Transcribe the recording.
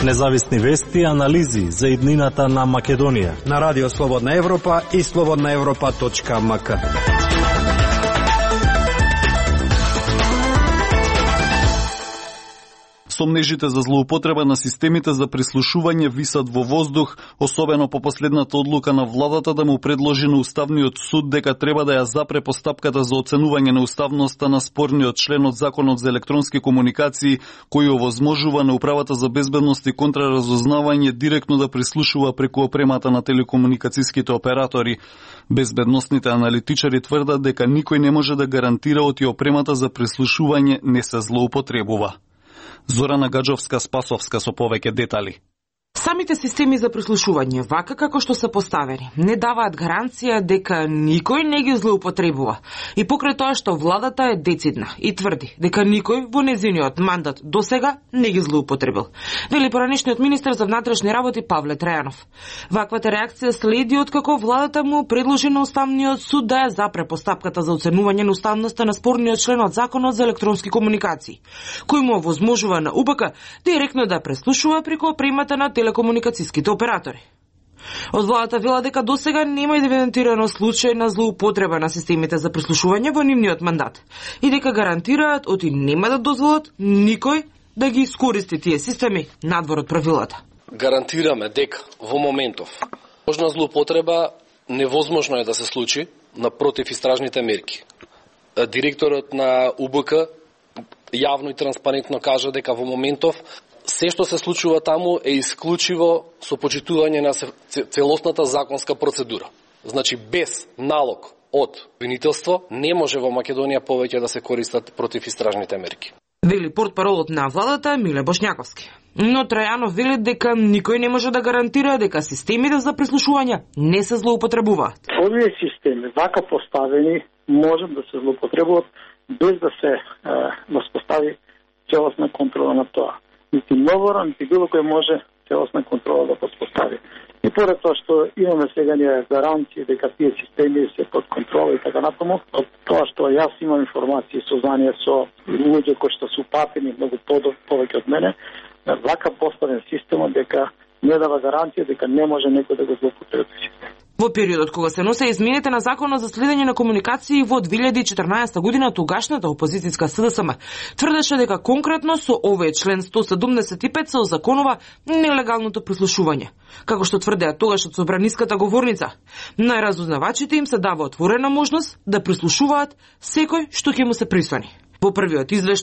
Независни вести и анализи за иднината на Македонија на Радио Слободна Европа и slobodnaevropa.mk. Сомнежите за злоупотреба на системите за прислушување висат во воздух, особено по последната одлука на владата да му предложи на Уставниот суд дека треба да ја запре постапката за оценување на уставноста на спорниот член од Законот за електронски комуникации, кој овозможува на Управата за безбедност и контраразузнавање директно да прислушува преку опремата на телекомуникацијските оператори. Безбедносните аналитичари тврдат дека никој не може да гарантира оти опремата за прислушување не се злоупотребува. Зорана Гаджовска-Спасовска со повеќе детали. Самите системи за прислушување, вака како што се поставени, не даваат гаранција дека никој не ги злоупотребува. И покрај тоа што владата е децидна и тврди дека никој во незиниот мандат досега не ги злоупотребил, вели поранешниот министер за внатрешни работи Павле Трајанов. Ваквата реакција следи откако владата му предложи на Уставниот суд да ја запре постапката за оценување на уставноста на спорниот член од Законот за електронски комуникации, кој му овозможува на УПК директно да преслушува преку опремата на телекомуникацијските оператори. Од владата вела дека досега нема идентифицирано случај на злоупотреба на системите за прислушување во нивниот мандат и дека гарантираат оти нема да дозволат никој да ги искористи тие системи надвор од правилата. Гарантираме дека во моментов можна злоупотреба невозможно е да се случи на противистражните мерки. Директорот на УБК јавно и транспарентно кажа дека во моментов се што се случува таму е исклучиво со почитување на целосната законска процедура. Значи, без налог од обвинителство не може во Македонија повеќе да се користат противистражните мерки. Вели портпаролот на владата Миле Бошњаковски. Но Трајанов вели дека никој не може да гарантира дека системите за прислушување не се злоупотребуваат. Овие системи, вака поставени, можат да се злоупотребуваат без да се воспостави целосна контрола на тоа. Нити новора, нити било кој може целосна контрола да постави. И поред тоа што имаме сега ние гаранции дека тие системи се под контрола и така натаму, од тоа што јас имам информации и сознание со луѓе кои што се упатени многу повеќе од мене, вака поставен системот дека не дава гаранција дека не може некој да го злоупотреби. Во периодот кога се носе измените на Законот за следење на комуникации во 2014 година, тогашната опозицијска СДСМ тврдеше дека конкретно со овој член 175 се озаконува нелегалното прислушување. Како што тврдеа тогаш од собраниската говорница, најразузнавачите им се дава отворена можност да прислушуваат секој што ќе му се присвани. Во првиот извештај